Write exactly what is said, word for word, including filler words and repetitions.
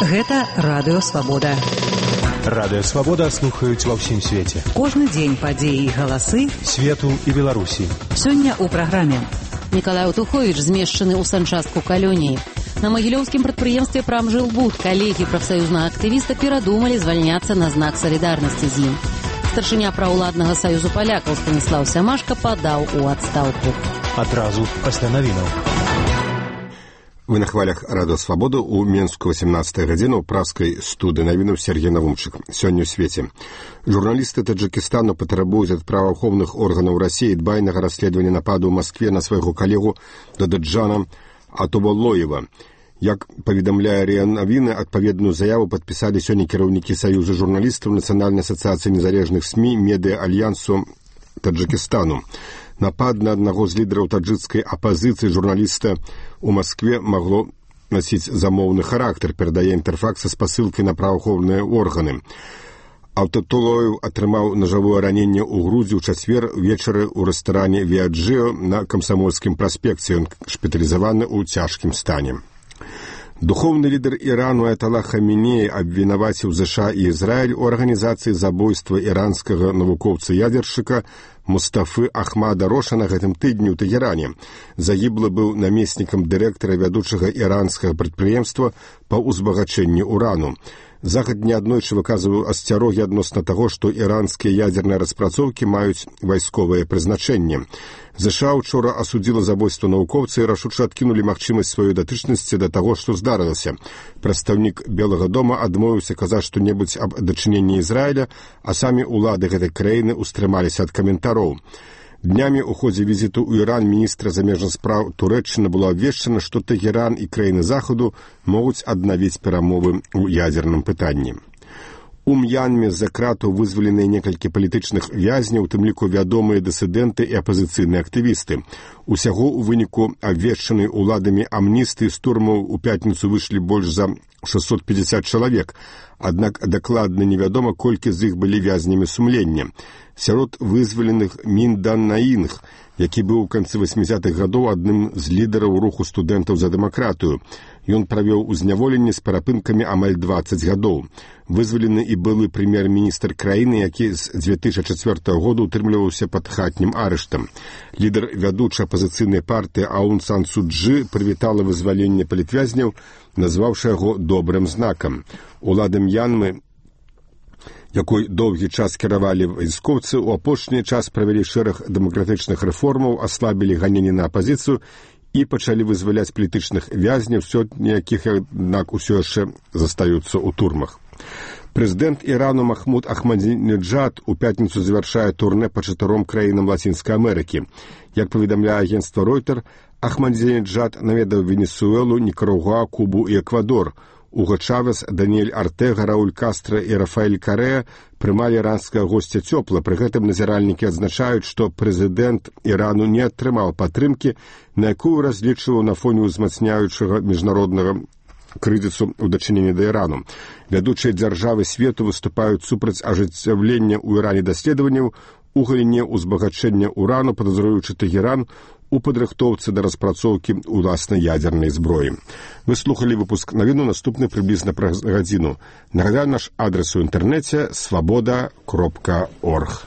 Гэта Радыё Свабода. Радыё Свабода слухаюць ва ўсім свеце. Кожны дзень падзеі і галасы свету і Беларусі. Сёння ў праграме. Мікалай Утуховіч змешчаны ў санчастку калоніі. На магілёўскім прадпрыемстве «Прамжилбуд» калегі прафсаюзнага актывіста перадумалі звальняцца на знак салідарнасці з ім. Старшыня праўладнага саюзу палякаў Станіслаў Сямашка падаў у адстаўку. Адразу пасля навінаў. Вы на хвалях Радыё Свабода у Менску восемнадцатая гадзіна ў праскай студыі навінаў Сергей Навумчык. Сёння ў свеце. Журналісты Таджикистану патрабуюць ад праваахоўных органаў Расіі дбайнага расследавання нападу ў Маскве на свайго калегу Дададжана Атубаллоева. Як паведамляе РИА Навіны, адпаведную заяву падпісалі сёння кіраўнікі Саюза журналістаў Нацыянальнай асацыяцыі незалежных СМІ Медыа-альянсу Таджикистану. Напад на аднаго з лідараў таджикскай апазіцыі журналіста ў Маскве магло насіць замоўны характар, перадае Інтэрфакс са спасылкай на праваахоўныя органы. Атубаллоев атрымаў нажавое раненне ў грудзі ў чацвер вечары ў рэстаране «Віаджыо» на Камсамольскім праспекце. Ён шпіталізаваны ў цяжкім стане. Духовны лідар Ірану Аятала Хамінеі абвінаваціў ЗША і Ізраіль у арганізацыі забойства іранскага навукоўца-ядзершчыка Мустафы Ахмада Роша на гэтым тыдні ў Тэгеране. Загіблы быў намеснікам дырэктара вядучага іранскага прадпрыемства па ўзбагачэнні урану. Захад неаднойчы выказваў асцярогі адносна таго, што іранскія ядзерныя распрацоўкі маюць вайсковае прызначэнне. ЗША учора асудзіла забойства навукоўца і рашуча адкінулі магчымасць сваёй датычнасці да таго, што здарылася. Прадстаўнік Белага дома адмовіўся казаць што-небудзь аб дачыненні Ізраіля, а самі ўлады гэтай краіны ўстрымаліся ад каментароў. Днямі ў ходзе візіту ў Іран міністра замежных спраў Турэччыны было абвешчана, што Тэгеран і краіны Захаду могуць аднавіць перамовы ў ядзерным пытанні. У М'янме з-за кратаў вызваленыя некалькі палітычных вязняў, у тым ліку вядомыя дысідэнты і апазіцыйныя актывісты. Усяго ў выніку абвешчанай уладамі амністыі з турмаў у пятніцу выйшлі больш за шэсцьсот пяцьдзясят чалавек, аднак дакладна невядома, колькі з іх былі вязнямі сумлення. Сярод вызваленых Мін Дан Наінг, які быў у канцы васьмідзясятых гадоў адным з лідараў руху студэнтаў за дэмакратыю. Ён правёў у зняволенні з перапынкамі амаль дваццаць гадоў. Вызвалены і былы прэм'ер-міністр краіны, які з дзве тысячы чацвёртага года утрымліваўся пад хатнім арыштам. Лідар вядучай апазіцыйнай партыі Аун Сан Су Чжы прывітала вызваленне палітвязняў, назваўшы яго добрым знакам. Улада М'янмы, якой доўгі час кіравалі вайскоўцы, у апошні час правялі шэраг дэмакратычных рэформаў, аслабілі ганенні на апазіцыю і пачалі вызваляць палітычных вязняў, сотні якіх, аднак, усё яшчэ застаюцца ў турмах. Прэзідэнт Ірану Махмуд Ахмадзінеджад у пятніцу завяршае турнэ па чатыром краінам Лацінскай Амерыкі. Як паведамляе агенцтва Ройтер, Ахмадзінеджад наведаў Венесуэлу, Нікарагуа, Кубу і Эквадор. Уго Чавес, Даниэль Артега, Рауль Кастра і Рафаэль Карэа прымалі іранскага госця цёпла. Пры гэтым назіральнікі адзначаюць, што прэзідэнт Ірану не атрымаў падтрымкі, на якую разлічваў на фоне ўзмацняючага міжнароднага крызісу ў дачыненні да Ірану. Вядучыя дзяржавы свету выступаюць супраць ажыццяўлення ў Іране даследаванняў у галіне ўзбагачэння урану, падазруючы Тэгеран у падрыхтоўцы да распрацоўкі ўласнай ядзернай зброі. Вы слухалі выпуск навіну, наступны прыблізна праз гадзіну. Нагадаю, наш адрес у інтэрнэце свабода кропка орг.